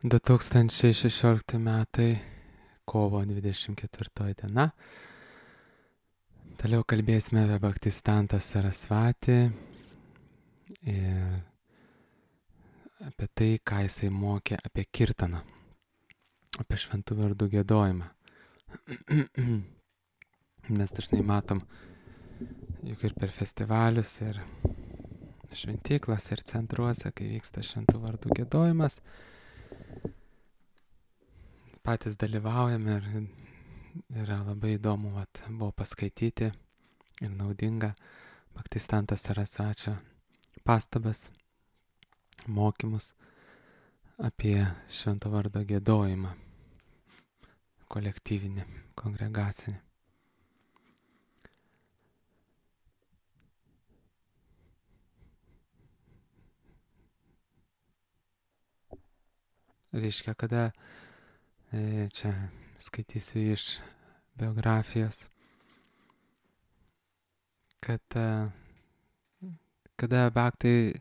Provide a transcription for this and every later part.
2016 metai, kovo 24 diena. Toliau kalbėsime apie Bhaktisiddhantą Sarasvatį ir apie tai, ką jisai mokė apie kirtaną, apie šventų vardų giedojimą. Mes dažnai matom, juk ir per festivalius, ir šventyklas, ir centruose, kai vyksta šventų vardų giedojimas, patys dalyvaujame ir yra labai įdomu, buvo paskaityti ir naudinga Bhaktisiddhanto Sarasvačio pastabas, mokymus apie švento vardo giedojimą, kolektyvinį, kongregacinį. Reiškia, kada čia skaitysiu iš biografijos, kad kada bhaktai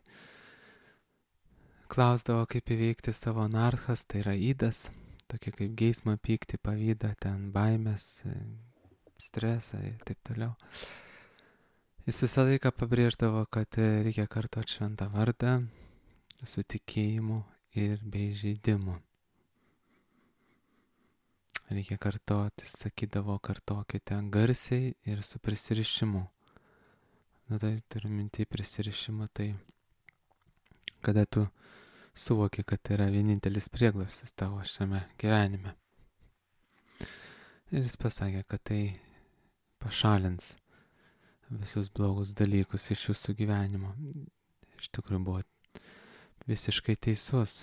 klausdavo, kaip įveikti savo anarchas, tai yra įdas, tokie kaip geismą, pyktį, pavydą, ten baimės, stresą ir taip toliau. Jis visą laiką pabrėždavo, kad reikia kartoti šventą vardą su tikėjimu ir be įžeidimų. Reikia kartoti, sakydavo, kartokite garsiai ir su prisirišimu. Tai turiu minti prisirišimą, tai kada tu suvoki, kad tai yra vienintelis prieglobstis tavo šiame gyvenime. Ir jis pasakė, kad tai pašalins visus blogus dalykus iš jūsų gyvenimo. Iš tikrųjų buvo visiškai teisus.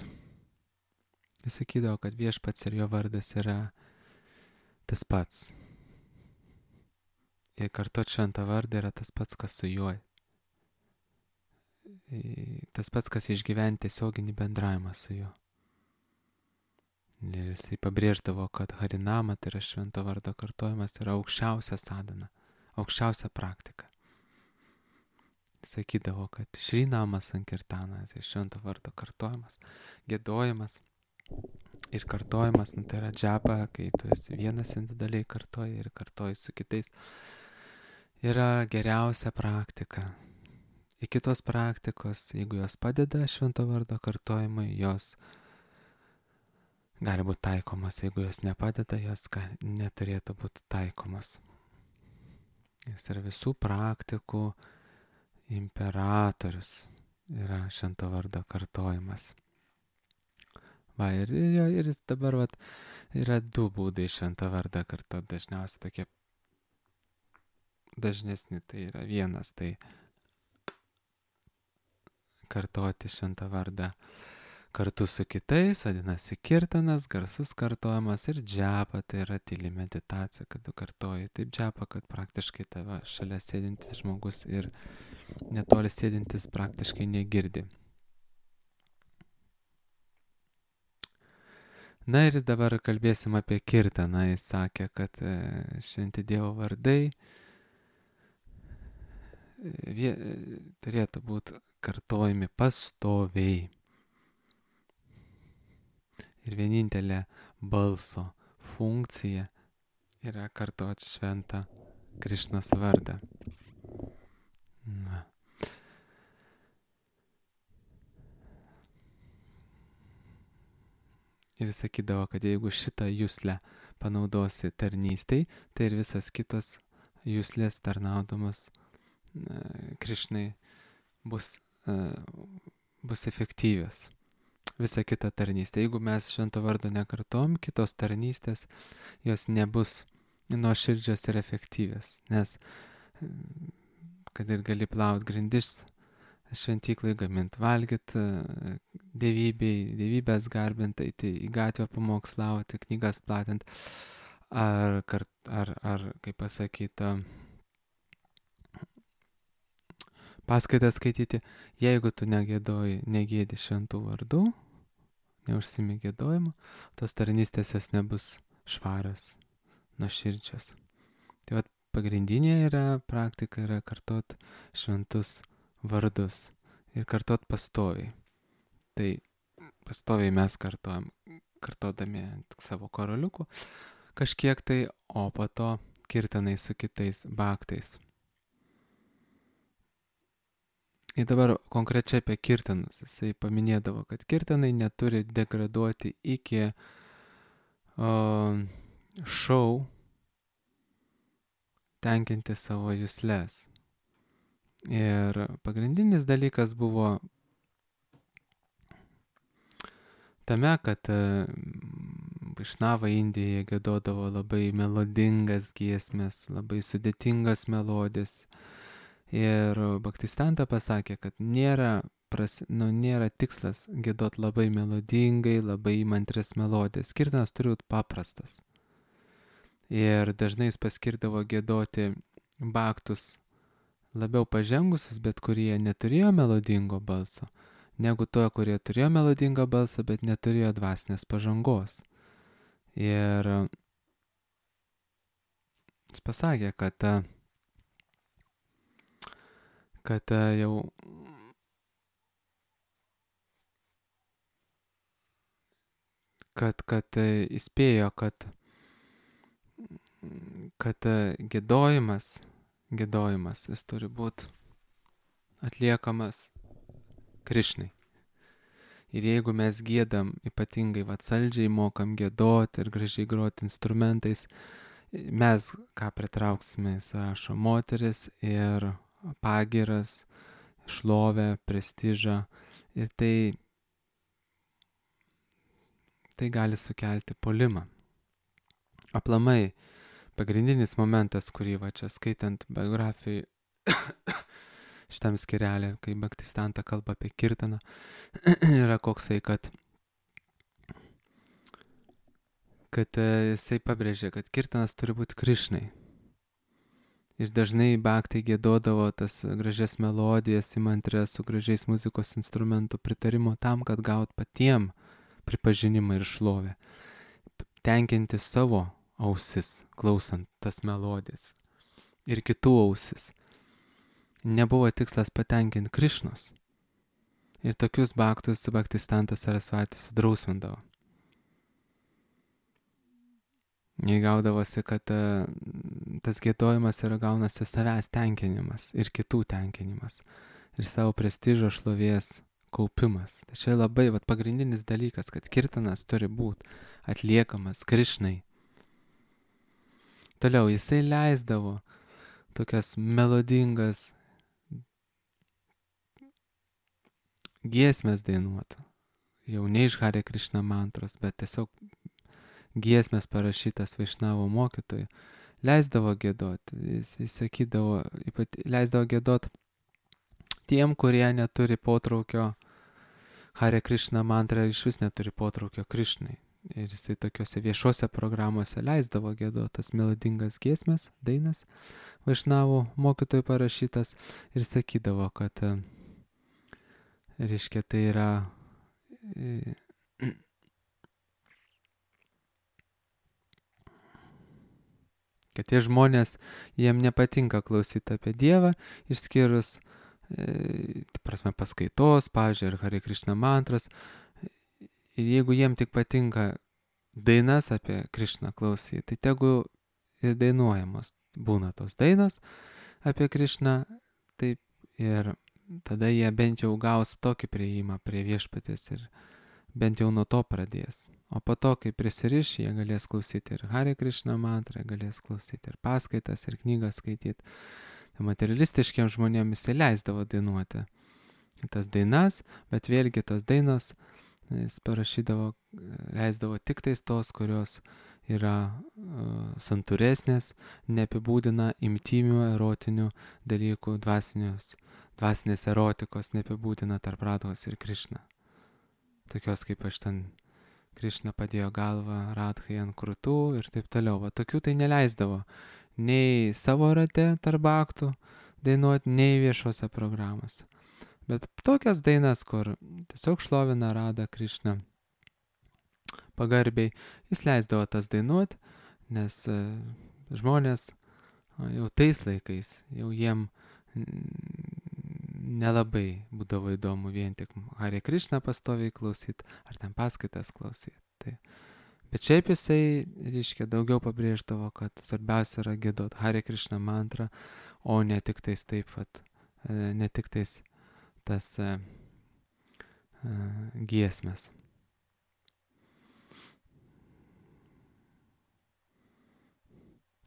Jis sakydavo, kad viešpats ir jo vardas yra tas pats. Ir kartuoti šventą vardą yra tas pats, kas su juo. Tas pats, kas išgyventi tiesioginį bendravimą su juo. Ir jisai pabrėždavo, kad harinama, tai yra švento vardo kartojimas, yra aukščiausia sadhana, aukščiausia praktika. Sakydavo, kad šrinama sankirtana, tai švento vardo kartojimas, giedojimas ir kartojimas, tai yra džapa, kai tu esi vienas individualiai kartoji ir kartoji su kitais, yra geriausia praktika. Į kitos praktikos, jeigu jos padeda švento vardo kartojimui, jos gali būti taikomas, jeigu jos nepadeda, jos neturėtų būti taikomas. Jis yra visų praktikų imperatorius, yra švento vardo kartojimas. Ir jis dabar yra du būdai šventą vardą kartoti, dažniausiai tokie dažnesni, tai yra vienas, tai kartoti šventą vardą kartu su kitais, vadinasi kirtanas, garsus kartojimas, ir džapa, tai yra tyli meditacija, kad tu kartoji taip džapa, kad praktiškai tave šalia sėdintis žmogus ir netoli sėdintis praktiškai negirdi. Na ir dabar kalbėsim apie kirtaną. Jis sakė, kad šventi Dievo vardai turėtų būti kartojami pastoviai. Ir vienintelė balso funkcija yra kartoti šventą Krišnos vardą. Ir jis sakydavo, kad jeigu šitą juslę panaudosi tarnystei, tai ir visas kitos juslės tarnaudamas Krišnai bus efektyvios. Visa kita tarnystė. Jeigu mes švento vardo nekartom, kitos tarnystės jos nebus nuoširdžios ir efektyvios. Nes kad ir gali plaut grindis šventyklai, gamint valgyt, dievybės garbint, eiti į gatvę pamokslauti, knygas platint, ar kaip pasakyta, paskaitas skaityti. Jeigu tu negėdi šventų vardų, neužsimi gėdojimo, tos tarnystės jos nebus švarios, nuoširdžios. Tai pagrindinė praktika yra kartot šventus vardus ir kartot pastoviai. Tai pastoviai mes kartojam. kartodami ant savo karoliukų kažkiek tai, o po to kirtanai su kitais bhaktais. Ir dabar konkrečiai apie kirtanus. Jisai paminėdavo, kad kirtanai neturi degraduoti iki šou, tenkinti savo juslės. Ir pagrindinis dalykas buvo tame, kad Vaišnavai Indijoje giedodavo labai melodingas giesmes, labai sudėtingas melodijas. Ir Bhaktisiddhanta pasakė, kad nėra tikslas giedot labai melodingai, labai įmantrias melodijas. Kirtanas turi būti paprastas. Ir dažnai jis paskirdavo giedoti bhaktus labiau pažengusius, bet kurie neturėjo melodingo balso, negu to, kurie turėjo melodingą balsą, bet neturėjo dvasinės pažangos. Ir jis pasakė, kad jau įspėjo, kad giedojimas, jis turi būti atliekamas Krišnai. Ir jeigu mes giedam ypatingai saldžiai, mokam giedoti ir gražiai groti instrumentais, mes ką pritrauksime, jis rašo, moteris ir pagiras, šlovę, prestižą, ir tai gali sukelti puolimą. Aplamai, pagrindinis momentas, kurį čia skaitant biografijai šitam skirelė, kai Bhaktisiddhanta kalba apie kirtaną, yra koksai, kad jisai pabrėžė, kad kirtanas turi būti Krišnai. Ir dažnai bhaktai giedodavo tas gražias melodijas, įmantrias su gražiais muzikos instrumentų pritarimo tam, kad gaut patiem pripažinimą ir šlovę. Tenkinti savo ausis, klausant tas melodijas. Ir kitų ausis. Nebuvo tikslas patenkinti Krišnos. Ir tokius bhaktus Bhaktisiddhanta Sarasvati sudrausmindavo. Jei gaudavosi, kad tas giedojimas yra gaunasi savęs tenkinimas ir kitų tenkinimas. Ir savo prestižo šlovės kaupimas. Tai čia labai pagrindinis dalykas, kad kirtanas turi būti atliekamas Krišnai. Toliau jisai leisdavo tokias melodingas giesmės dainuoti. Jau ne iš Hare Krishna mantros, bet tiesiog giesmės parašytas Vaišnavo mokytojų. Leisdavo giedoti. Jis sakydavo, leisdavo giedoti tiem, kurie neturi potraukio Hare Krishna mantrą, iš vis neturi potraukio Krišnai. Ir jisai tokiuose viešuose programuose leisdavo giedotas melodingas giesmės, dainas, Vaišnavo mokytojų parašytas, ir sakydavo, kad reiškia, tai yra kad tie žmonės, jiem nepatinka klausyti apie Dievą, išskyrus paskaitos, pavyzdžiui, ir Hare Krishna mantras. Ir jeigu jiem tik patinka dainas apie Krišną klausyti, tai tegu ir dainuojamos būna tos dainos apie Krišną, taip, ir tada jie bent jau gaus tokį priėjimą prie viešpaties ir bent jau nuo to pradės. O po to, kai prisiriš, jie galės klausyti ir Hare Krishna mantrą, galės klausyti ir paskaitas, ir knygas skaityti. Tai materialistiškiams žmonėms jis leisdavo dainuoti tas dainas, bet vėlgi tos dainos jis parašydavo, leisdavo tik tais tos, kurios yra santūresnės, neapibūdina imtymių, erotinių dalykų, dvasinės erotikos, neapibūdina tarp Radhos ir Krišna. Tokios kaip aš ten, Krišna padėjo galvą Radhai ant krūtų ir taip toliau. Tokių tai neleisdavo nei savo rate tarp bhaktų dainuoti, nei viešose programose. Bet tokias dainas, kur tiesiog šlovina Radha Krišną pagarbiai, jis leisdavo tas dainuoti, nes žmonės jau tais laikais, jau jiem nelabai būdavo įdomu vien tik Hare Krishna pastoviai klausyti, ar ten paskaitas klausyti. Tai. Bet šiaip jisai, reiškia, daugiau pabrėždavo, kad svarbiausia yra giedot Hare Krishna mantrą, o ne tik tais taip, ne tik tais tas giesmės.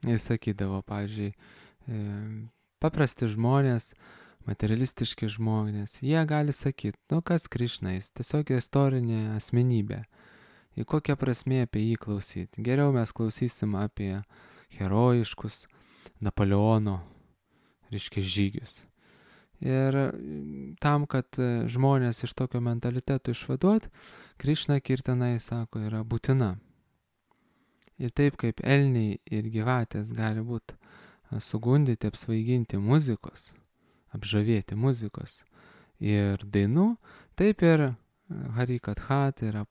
Jis sakydavo, pavyzdžiui, paprasti žmonės, materialistiški žmonės, jie gali sakyti, kas Krišna, jis tiesiog istorinė asmenybė. Į kokią prasmę apie jį klausyti. Geriau mes klausysim apie herojiškus Napoleono, reiškia, žygius. Ir tam, kad žmonės iš tokio mentaliteto išvaduot, Krišna kirtanai, sako, yra būtina. Ir taip kaip elniai ir gyvatės gali būti sugundyti, apsvaiginti muzikos, apžavėti muzikos ir dainų, taip ir Harikatha, tai yra,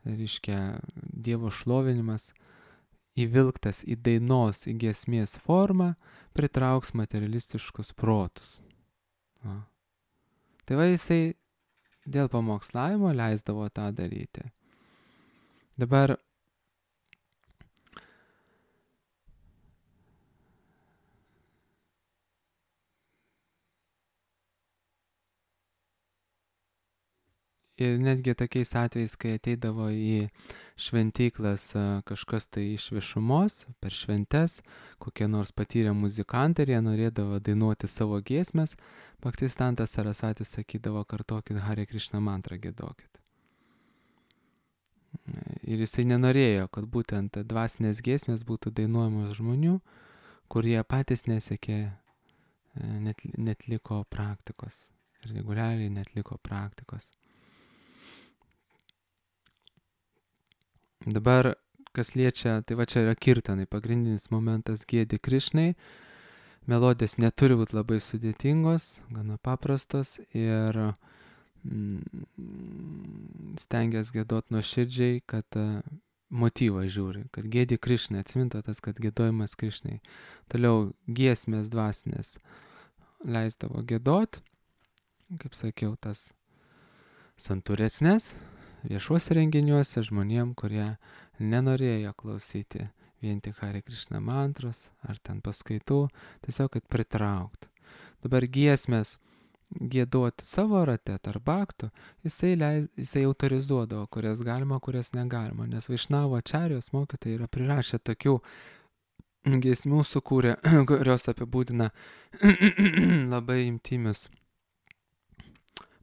reiškia, Dievo šlovinimas įvilktas į dainos, į giesmės formą, pritrauks materialistiškus protus. Va. Tai va, jisai dėl pamokslavimo leisdavo tą daryti. Dabar ir netgi tokiais atvejais, kai ateidavo į šventyklas kažkas tai iš viešumos, per šventes, kokie nors patyrę muzikantai, ir jie norėdavo dainuoti savo giesmes, Bhaktisiddhanta Sarasvati sakydavo, kartokit Hare Krishna mantrą, giedokit. Ir jisai nenorėjo, kad būtent dvasinės giesmės būtų dainuojamos žmonių, kurie patys nesiekė, netliko praktikos, reguliariai netliko praktikos. Dabar, kas liečia, tai va čia yra kirtanai, pagrindinis momentas giedi Krišnai, melodijos neturi būti labai sudėtingos, gana paprastos ir stengiasi giedot nuoširdžiai, kad motyvą žiūri, kad giedi Krišnai, atsiminta tas, kad giedojimas Krišnai. Toliau giesmės dvasinės leisdavo giedot, kaip sakiau, tas santūresnės, viešuose renginiuose žmonėm, kurie nenorėjo klausyti vien tik Hare Krishna mantros ar ten paskaitų, tiesiog kad pritraukt. Dabar giesmės giedoti savo rate tarp bhaktų, jisai autorizuodavo, kurias galima, kurias negalima, nes Vaišnavo ačarijos mokytojai yra prirašę tokių giesmių sukūrė, kurios apibūdina labai intymius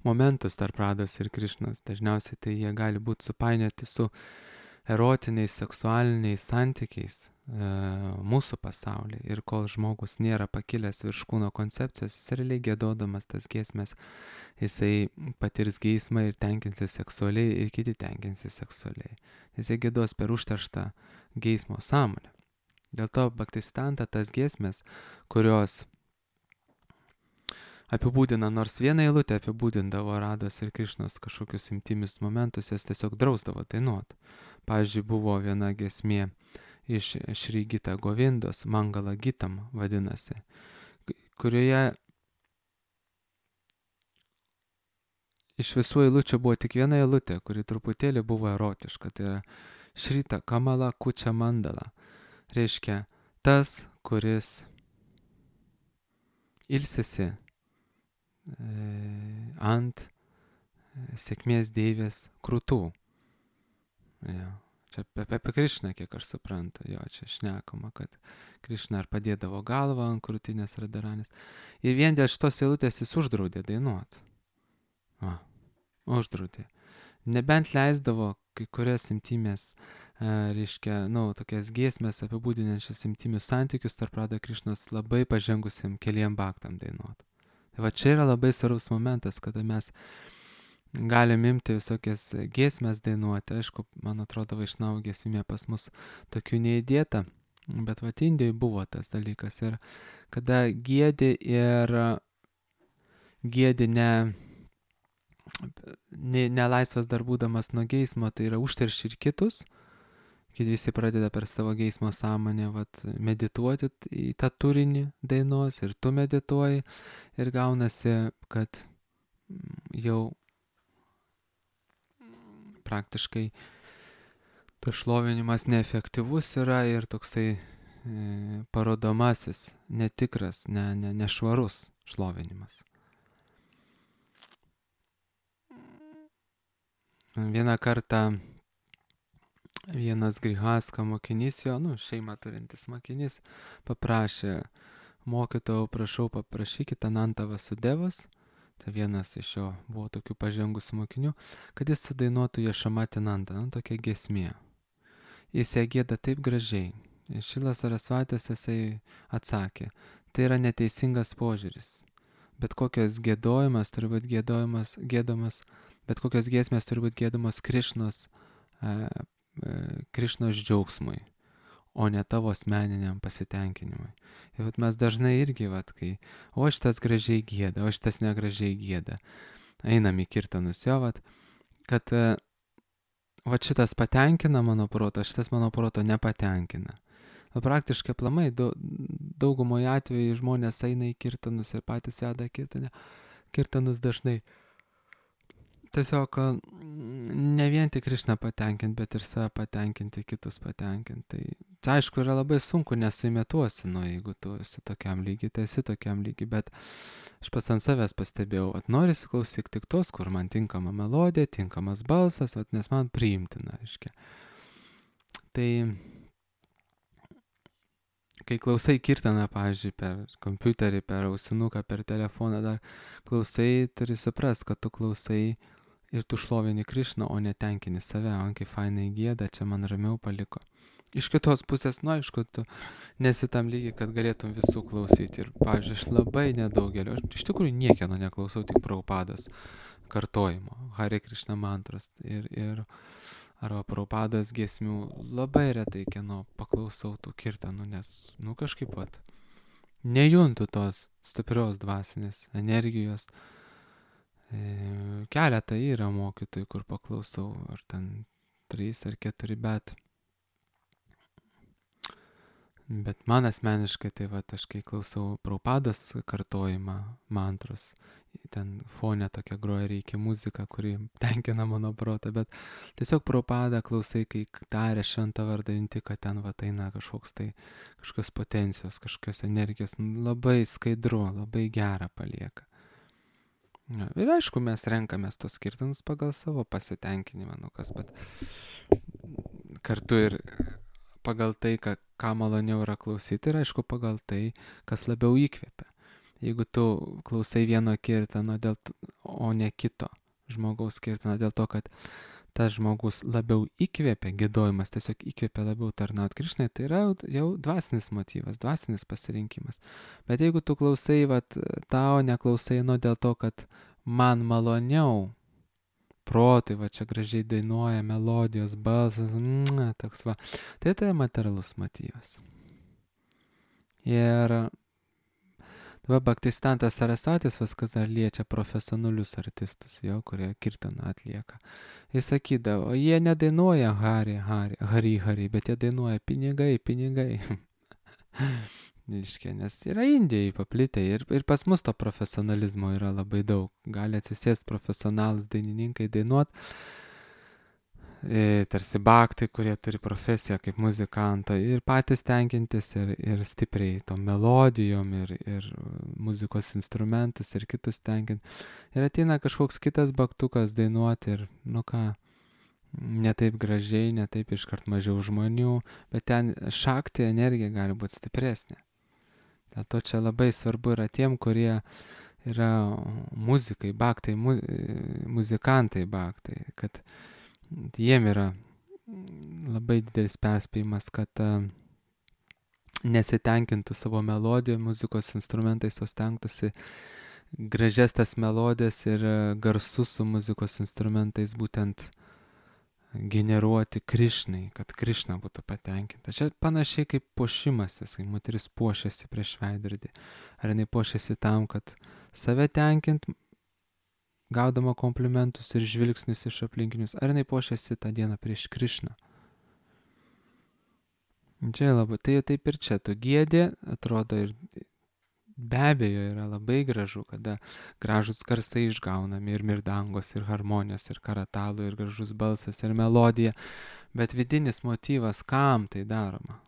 momentus tarp Rados ir Krišnos. Dažniausiai tai jie gali būti supainioti su erotiniais, seksualiniais santykiais mūsų pasaulyje. Ir kol žmogus nėra pakilęs virš kūno koncepcijos, jis realiai giedodamas tas giesmės, jisai patirs geismą ir tenkinsis seksualiai, ir kiti tenkinsis seksualiai. Jisai giedos per užterštą geismo sąmonę. Dėl to Bhaktisiddhanta tas giesmės, kurios apibūdina, nors vieną eilutę apibūdindavo Rados ir Krišnos kažkokius intymius momentus, jas tiesiog drausdavo dainuoti. Pavyzdžiui, buvo viena giesmė iš Šri Gita Govindos, Mangala Gitam vadinasi, kurioje iš visų eilučių buvo tik viena eilutė, kuri truputėlį buvo erotiška, tai yra Šrita Kamala Kučia Mandala. Reiškia, tas, kuris ilsisi ant sėkmės deivės krūtų. Jo. Čia apie Krišną, kiek aš suprantu, jo, čia šnekama, kad Krišna ar padėdavo galvą ant krūtinės Radharanės. Ir vien dėl šitos eilutės jis uždraudė dainuoti. Uždraudė. Nebent leisdavo kai kurias intymės, reiškia, tokias giesmės apibūdinančias intymius santykius tarp Rada Krišnos labai pažengusiam keliem bhaktam dainuoti. Tai va čia yra labai svarbus momentas, kada mes galim imti visokias giesmės dainuoti. Aišku, man atrodo, Vaišnavų giesmė pas mus tokių neįdėta, bet va Indijoje buvo tas dalykas. Ir kada giedi ir giedi nelaisvas dar būdamas nuo geismo, tai yra užterši ir kitus, kai visi pradeda per savo geismo sąmonę medituoti į tą turinį dainos ir tu medituoji ir gaunasi, kad jau praktiškai tas šlovinimas neefektyvus yra ir toksai parodomasis, netikras, nešvarus šlovinimas. Vieną kartą vienas Grihaska mokinys, šeimą turintis mokinys, paprašė: mokytojau, prašau, paprašykite Anantą Vasudevas, tai vienas iš jo buvo tokių pažengusių mokinių, kad jis sudainuotų Jašamatinantą, tokia giesmė. Jis ją gieda taip gražiai. Ir Šilas Sarasvatis jisai atsakė: tai yra neteisingas požiūris. Bet kokios giedojimas turi būti giedomas, bet kokios giesmės turi būti giedamos Krišnos džiaugsmui, o ne tavo asmeniniam pasitenkinimui. Ir mes dažnai irgi, kai o šitas gražiai gieda, o šitas negražiai gieda, einam į kirtanus jo, kad šitas patenkina mano proto, šitas mano proto nepatenkina. Praktiškai aplamai daugumoje atveju žmonės eina į kirtanus ir patys veda kirtanus dažnai. Tiesiog ne vien tik Krišną patenkinti, bet ir save patenkinti, kitus patenkinti. Tai aišku, yra labai sunku, nesuimituosi, jeigu tu esi tokiam lygiai, tai esi tokiam lygiai, bet aš pats ant savęs pastebėjau, norisi klausyti tik tos, kur man tinkama melodija, tinkamas balsas, nes man priimtina, reiškia. Tai kai klausai kirtaną, pavyzdžiui, per kompiuterį, per ausinuką, per telefoną, dar klausai, turi suprast, kad tu klausai ir tu šlovini Krišną, o netenkini save, kaip fainai gieda, čia man ramiau paliko. Iš kitos pusės, aišku, tu nesi tam lygiai, kad galėtum visų klausyti. Ir, pavyzdžiui, aš labai nedaugelio, aš iš tikrųjų niekieno neklausau, tik Prabhupados kartojimo, Hare Krishna mantros arba Prabhupados giesmių. Labai retai kieno paklausau tų kirtanų, nes, kažkaip nejuntu tos stiprios dvasinės energijos. Keletą yra mokytojų, kur paklausau, ar ten 3 ar 4, bet man asmeniškai, tai aš kai klausau Prabhupados kartojimą mantros, ten fone tokia groja reikia muzika, kuri tenkina mano protą, bet tiesiog Prabhupadą klausai, kai taria šventą vardą, junti, kad ten eina kažkokios potencijos, kažkokios energijos, labai skaidru, labai gera palieka. Ir aišku, mes renkamės tos kirtanus pagal savo pasitenkinimą, bet kartu ir pagal tai, ką maloniau yra klausyti, ir aišku, pagal tai, kas labiau įkvepia. Jeigu tu klausai vieno kirtano, o ne kito žmogaus kirtano, dėl to, kad tas žmogus labiau įkvepia, giedojimas tiesiog įkvepia labiau tarnauti Krišnai, tai yra jau dvasinis motyvas, dvasinis pasirinkimas. Bet jeigu tu klausai tau, neklausai, dėl to, kad man maloniau, protui, čia gražiai dainuoja, melodijos, balsas, toks tai materialus motyvas. Ir dabar Bhaktisiddhanta Sarasvatis viskas dar liečia profesionalius artistus, kurie kirtaną atlieka. Jis sakydavo, jie nedainuoja hari, bet jie dainuoja pinigai. Nes yra Indijai paplitę ir pas mus to profesionalizmo yra labai daug. Gali atsisėsti profesionalus dainininkai dainuot, tarsi bhaktai, kurie turi profesiją kaip muzikanto, ir patys tenkintis ir stipriai tom melodijom ir muzikos instrumentus ir kitus tenkinti. Ir ateina kažkoks kitas bhaktukas dainuoti ir, ne taip gražiai, ne taip iškart mažiau žmonių, bet ten šakti energija gali būti stipresnė. Dėl to čia labai svarbu yra tiem, kurie yra muzikai, bhaktai, muzikantai bhaktai, kad jiem yra labai didelis perspėjimas, kad nesitenkintų savo melodiją, muzikos instrumentais, o stengtųsi gražias tas melodijas ir garsus su muzikos instrumentais būtent generuoti Krišnai, kad Krišna būtų patenkinta. Čia panašiai kaip puošimasis, kai moteris puošiasi prieš veidrodį. Ar jinai puošiasi tam, kad save tenkint, gaudama komplimentus ir žvilgsnius iš aplinkinius, ar jinai puošiasi tą dieną prieš Krišną. Čia labai, tai taip ir čia, tu giedi, atrodo, ir be abejo yra labai gražu, kada gražus garsai išgaunami ir mirdangos, ir harmonijos, ir karatalų, ir gražus balsas, ir melodija, bet vidinis motyvas, kam tai daroma?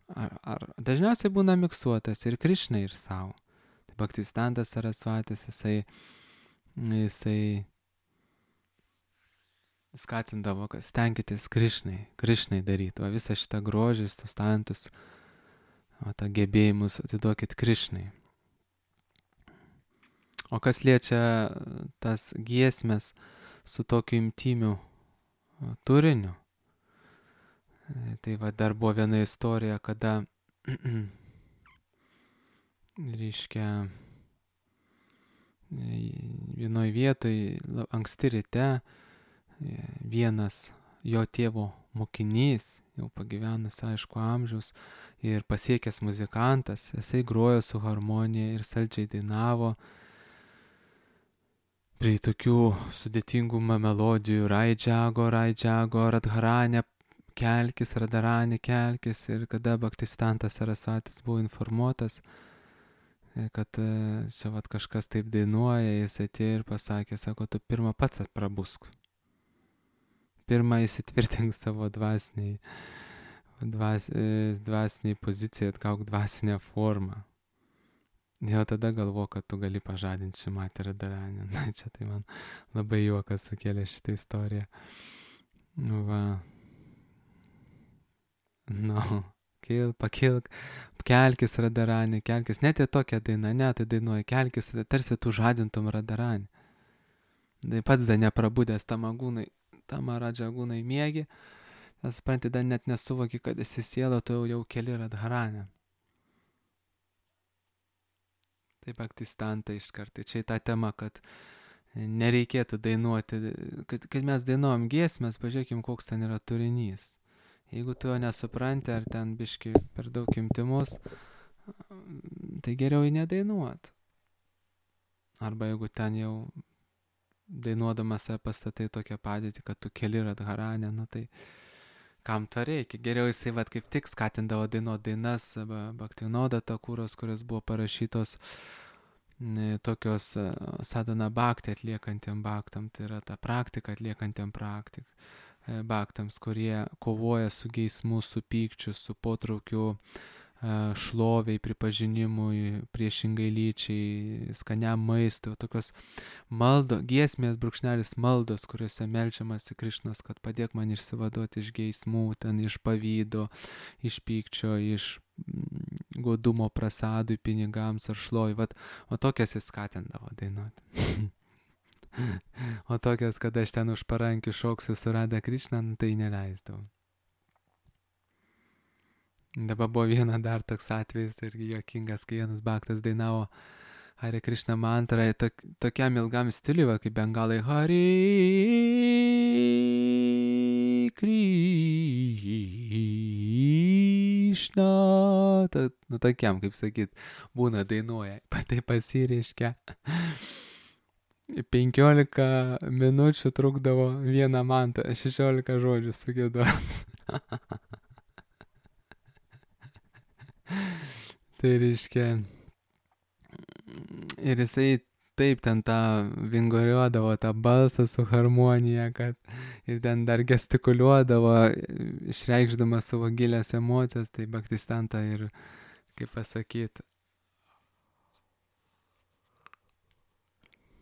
Ar dažniausiai būna miksuotas ir Krišnai, ir savo. Tai Bhaktistantas Sarasvatis, jisai skatindavo, kad stenkitės Krišnai daryti, o visą šitą grožį, tos talentus, o tą gebėjimus atiduokit Krišnai. O kas liečia tas giesmės su tokiu intymiu turiniu, tai va dar buvo viena istorija, kada, reiškia, vienoj vietoj anksti ryte vienas jo tėvo mokinys, jau pagyvenus aišku amžiaus ir pasiekęs muzikantas, jisai grojo su harmonija ir saldžiai dainavo prie tokių sudėtingų melodijų, Raidžiago, Radharanė, kelkis, Radharanė, kelkis, ir kada Bhaktistantas Sarasvatis buvo informuotas, kad čia vat kažkas taip dainuoja, jis atėjo ir pasakė, sako, tu pirmą pats prabusk. Pirmą įsitvirtink savo dvasiniai pozicijoje, atgauk dvasinę formą. Jau tada galvo, kad tu gali pažadinti Šimatį Radharanę. Na, čia tai man labai juokas sukėlė šitą istoriją. Va. Pakilk, kelkis Radharanė, kelkis. Net į tokią dainą, ne, tai dainuoja, kelkis, tarsi tu žadintum Radharanę. Tai pats dar neprabudęs Tamaradžagūnai miegi, nes supranti, dar net nesuvoki, kad esi siela, tu jau keli Radharanę. Tai Bhaktistanta iškart. Čia ta tema, kad nereikėtų dainuoti, kad mes dainuojam giesmės, pažiūrėkim, koks ten yra turinys. Jeigu tu jo nesupranti, ar ten biški per daug intymus, tai geriau jį nedainuot. Arba jeigu ten jau dainuodamas pastatai tokią padėtį, kad tu keli Radharanę, nu tai kam to reikia? Geriau jisai vat kaip tik skatindavo dainuoti dainas Bhaktivinoda Thakuros, kurios buvo parašytos tokios sadhana bhakti atliekantiem bhaktam, tai yra ta praktika atliekantiem bhaktams, kurie kovoja su geismu, su pykčiu, su potraukiu šloviai, pripažinimui, priešingai lyčiai, skaniam maistui, tokios giesmės brūkšnelis maldos, kuriuose melčiamasi Krišnos, kad padėk man išsivaduoti iš geismų, ten iš pavydo, iš pykčio, iš godumo prasadui, pinigams ar šlovai. O tokias jis skatindavo dainuoti. O tokias, kad aš ten už parankių šoksiu su Radha Krišna, tai neleisdavau. Dabar buvo viena dar toks atvejis irgi juokingas, kai vienas bhaktas dainavo Hare Krishna mantrą tokiam ilgam stiliui, kaip bengalai Hare Krishna. Tokiam, kaip sakyt, būna dainuoja, tai pasireiškia. 15 minučių trukdavo vieną mantrą, 16 žodžių sugėduot. Tai reiškia, ir jisai taip ten tą vinguriuodavo tą balsą su harmonija, kad ir ten dar gestikuliuodavo, išreikšdamas savo gilias emocijas, tai Bhaktistanta ir, kaip pasakyti,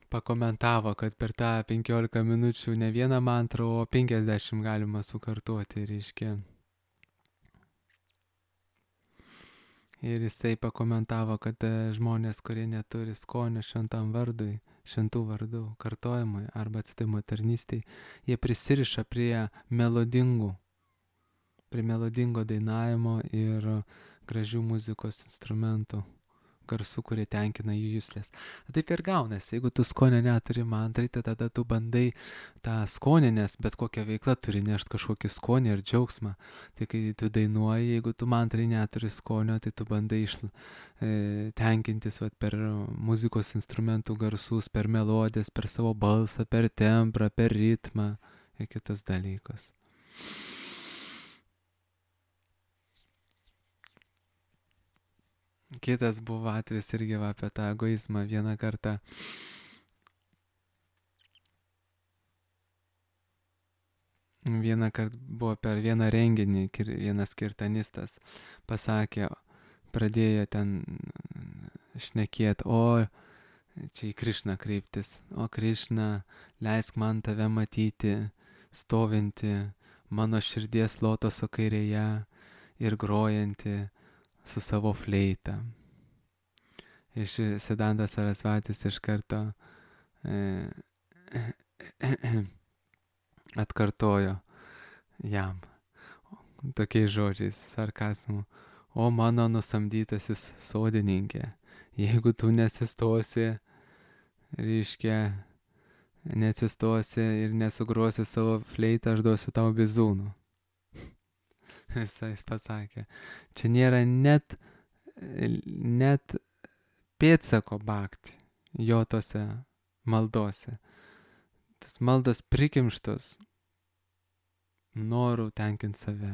pakomentavo, kad per tą 15 minučių ne vieną mantrą, o 50 galima sukartuoti, reiškia. Ir jisai pakomentavo, kad žmonės, kurie neturi skonio šventam vardui, šventų vardų kartojimui arba atsidavimo tarnystei, jie prisiriša prie melodingo dainavimo ir gražių muzikos instrumentų garsų, kurie tenkina jų juslės. Taip ir gaunasi, jeigu tu skonio neturi mantrai, tai tada tu bandai tą skonį, nes bet kokia veikla turi nešti kažkokį skonį ir džiaugsmą. Tai kai tu dainuoji, jeigu tu mantrai neturi skonio, tai tu bandai tenkintis per muzikos instrumentų garsus, per melodijas, per savo balsą, per tembrą, per ritmą ir kitus dalykus. Kitas buvo atvejis irgi va apie tą egoizmą. Vieną kartą buvo per vieną renginį, vienas kirtanistas pasakė, pradėjo ten šnekėt, čia į Krišną kreiptis, o Krišna, leisk man tave matyti, stovinti mano širdies lotoso kairėje ir grojanti su savo fleita. Iš Siddhanta Sarasvatis iš karto atkartojo jam tokiais žodžiais, sarkazmu: o mano nusamdytasis sodininkė, jeigu tu nesistosi, reiškia, neatsistosi ir nesugrosi savo fleitą, aš duosiu tau bizūnų. Jis pasakė, čia nėra net pėdsako bhakti jo tose maldose. Tas maldos prikimštos norų tenkinti save.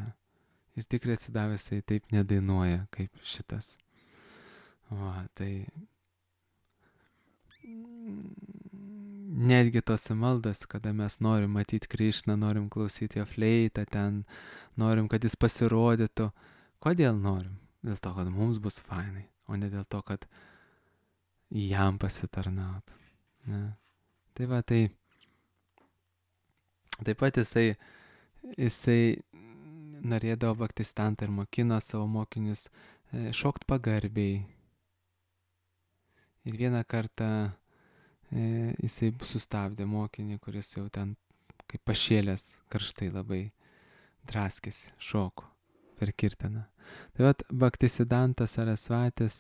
Ir tikrai atsidavęs jisai taip nedainuoja kaip šitas. Va, tai netgi tose maldas, kada mes norim matyti Krišną, norim klausyti jo fleitą ten, norim, kad jis pasirodytų. Kodėl norim? Dėl to, kad mums bus fainai, o ne dėl to, kad jam pasitarnaut. Ne? Tai va, tai taip pat jisai norėdavo Bhaktisiddhantą ir mokino savo mokinius šokt pagarbiai. Ir vieną kartą jisai sustabdė mokinį, kuris jau ten kaip pašėlęs karštai labai draskėsi, šoko per kirtaną. Tai vat Bhaktisiddhantas Sarasvatis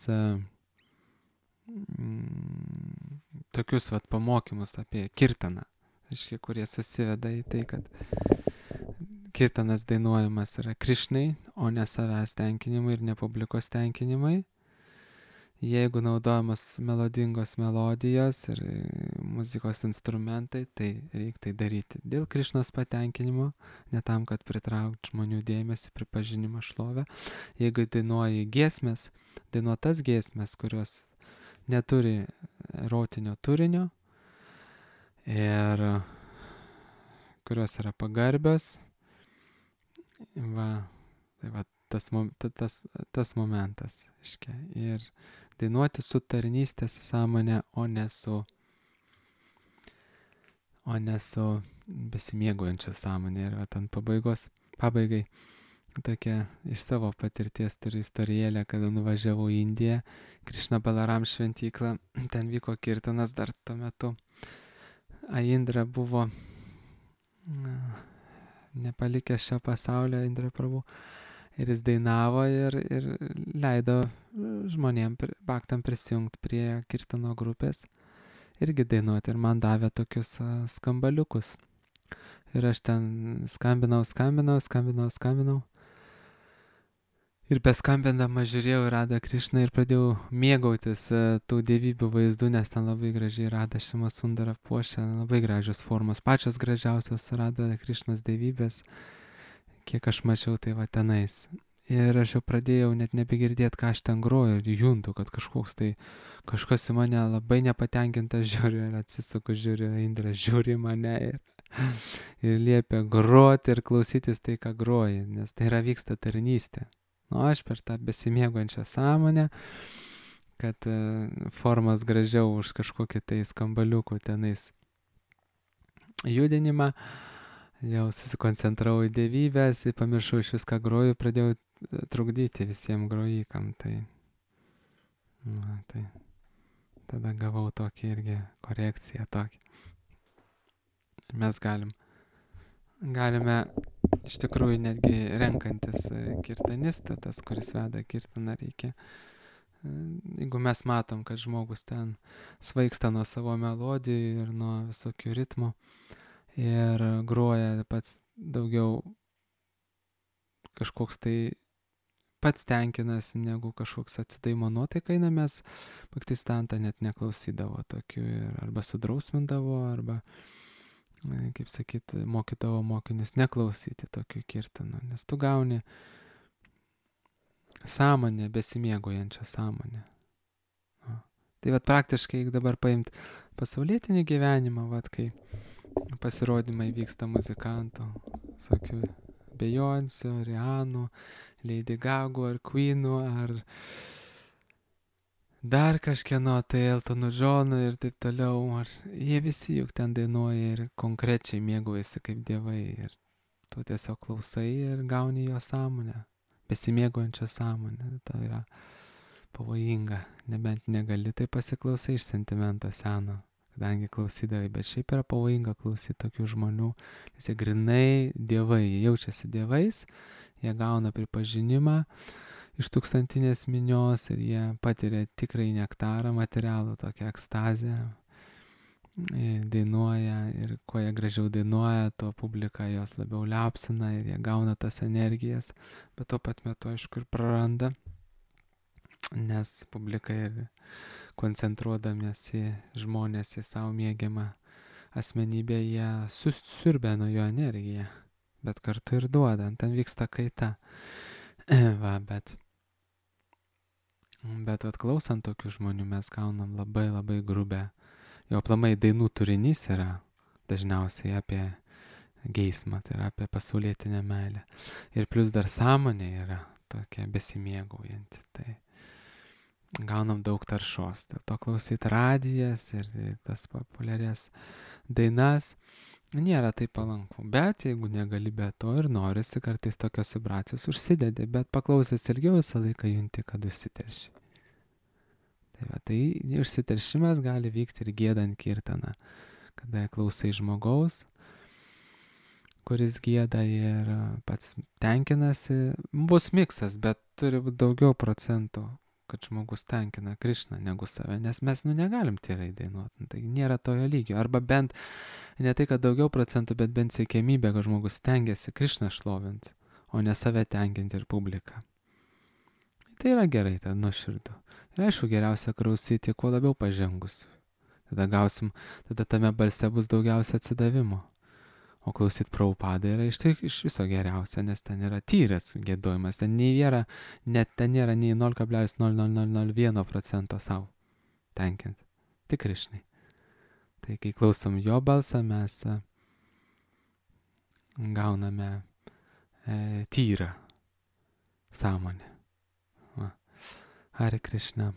tokius vat pamokymus apie kirtaną, aiškiai, kurie susiveda į tai, kad kirtanas dainuojamas yra Krišnai, o ne savęs tenkinimui ir ne publikos tenkinimui. Jeigu naudojamas melodingos melodijos ir muzikos instrumentai, tai reikia tai daryti dėl Krišnos patenkinimo, ne tam, kad pritraukti žmonių dėmesį, pripažinimą, šlovę. Jeigu dainuoji giesmės, dainuotas giesmės, kurios neturi erotinio turinio ir kurios yra pagarbios, va, tai va tas momentas, iškia. Ir dainuoti su tarnystės sąmonė, o ne su besimėgaujančia sąmonė. Ir ant pabaigai tokia iš savo patirties turiu istorijėlę, kada nuvažiavau į Indiją, Krišna Balaram šventyklą, ten vyko kirtanas dar tuo metu. Indra buvo nepalikęs šio pasaulio, Indra Prabhu. Ir jis dainavo ir leido žmonėm, bhaktam prisijungti prie kirtano grupės, irgi dainuoti. Ir man davė tokius skambaliukus. Ir aš ten skambinau. Ir beskambindama žiūrėjau į Radha Krišną ir pradėjau mėgautis tų dievybių vaizdų, nes ten labai gražiai Radha Šima Sundara puošia, labai gražios formos, pačios gražiausios Radha Krišnos dievybės, kiek aš mačiau, tai va tenais. Ir aš jau pradėjau net nebegirdėti, ką aš ten groju, ir juntu, kad kažkas į mane labai nepatenkintas žiūri, ir atsisuku, žiūri, Indra žiūri mane ir liepia groti ir klausytis tai, ką groji, nes tai yra vyksta tarnystė. Aš per tą besimėguojančią sąmonę, kad formas gražiau už kažkokį tai skambaliukų tenais judinimą, jau susikoncentravau į dievybės, pamiršau iš viską groju, pradėjau trukdyti visiems grojikam. Tai tada gavau tokį irgi korekciją tokį. Mes galime iš tikrųjų netgi renkantis kirtanistą, tas, kuris veda kirtaną, reikia. Jeigu mes matom, kad žmogus ten svaigsta nuo savo melodijų ir nuo visokių ritmų ir groja pats daugiau kažkoks tai pats tenkinasi, negu kažkoks atsidaimo nuotaika, mes Bhaktisiddhantą net neklausydavo tokių, arba sudrausmindavo, arba, kaip sakyt, mokydavo mokinius neklausyti tokių kirtanų, nes tu gauni sąmonė, besimėgaujančia sąmonė. Tai vat praktiškai, jeigu dabar paimt pasaulietinį gyvenimą, vat kai pasirodymai vyksta muzikantų, visokių Beyoncé, Rihanų, Lady Gaga ar Queenų, ar dar kažkieno, tai Eltono Džono ir taip toliau, ar jie visi juk ten dainuoja ir konkrečiai mėgaujasi kaip dievai ir tu tiesiog klausai ir gauni jo sąmonę, besimėgaujančią sąmonę, tai yra pavojinga, nebent negali, tai pasiklausai iš sentimento seno, kadangi klausydavai, bet šiaip yra pavojinga klausyti tokių žmonių, nes jie grinai dievai, jie jaučiasi dievais, jie gauna pripažinimą iš tūkstantinės minios ir jie patiria tikrai nektarą, materialų, tokią ekstazę, dainuoja ir kuo jie gražiau dainuoja, tuo publika jos labiau liapsina ir jie gauna tas energijas, bet tuo pat metu aišku ir praranda, nes publika ir koncentruodamiesi žmonės į savo mėgiamą asmenybę, jie susiurbia nuo jo energiją, bet kartu ir duoda, ten vyksta kaita. Va, bet klausant tokių žmonių mes gaunam labai labai grubę, jo aplamai dainų turinys yra dažniausiai apie geismą, tai yra apie pasaulietinę meilę. Ir plus dar sąmonė yra tokia besimėgaujanti, tai gaunam daug taršos. Dėl to klausyti radijas ir tas populiarias dainas nėra taip palanku. Bet jeigu negali be to ir norisi, kartais tokios vibracijos užsidedi, bet paklausęs ilgiau visą laiką junti, kad užsiterši. Tai išsiteršimas gali vykti ir giedant kirtaną, kada klausai žmogaus, kuris gieda ir pats tenkinasi. Bus miksas, bet turi būti daugiau procentų, kad žmogus tenkina Krišną negu save, nes mes negalim tyrai dainuoti, tai nėra tojo lygio, arba bent ne tai, kad daugiau procentų, bet bent siekiamybė, kad žmogus stengiasi Krišną šlovinti, o ne save tenkinti ir publiką. Tai yra gerai, tai nuoširdu. Ir aišku, geriausia klausyti kuo labiau pažengus. Tada tame balse bus daugiausia atsidavimo. O klausyt Prabhupadą yra iš viso geriausia, nes ten yra tyras giedojimas, ten nėra nei 0,0001% savo tenkinti, tik Krišnai. Tai kai klausom jo balsą, mes gauname tyrą sąmonę. Hare Krishna.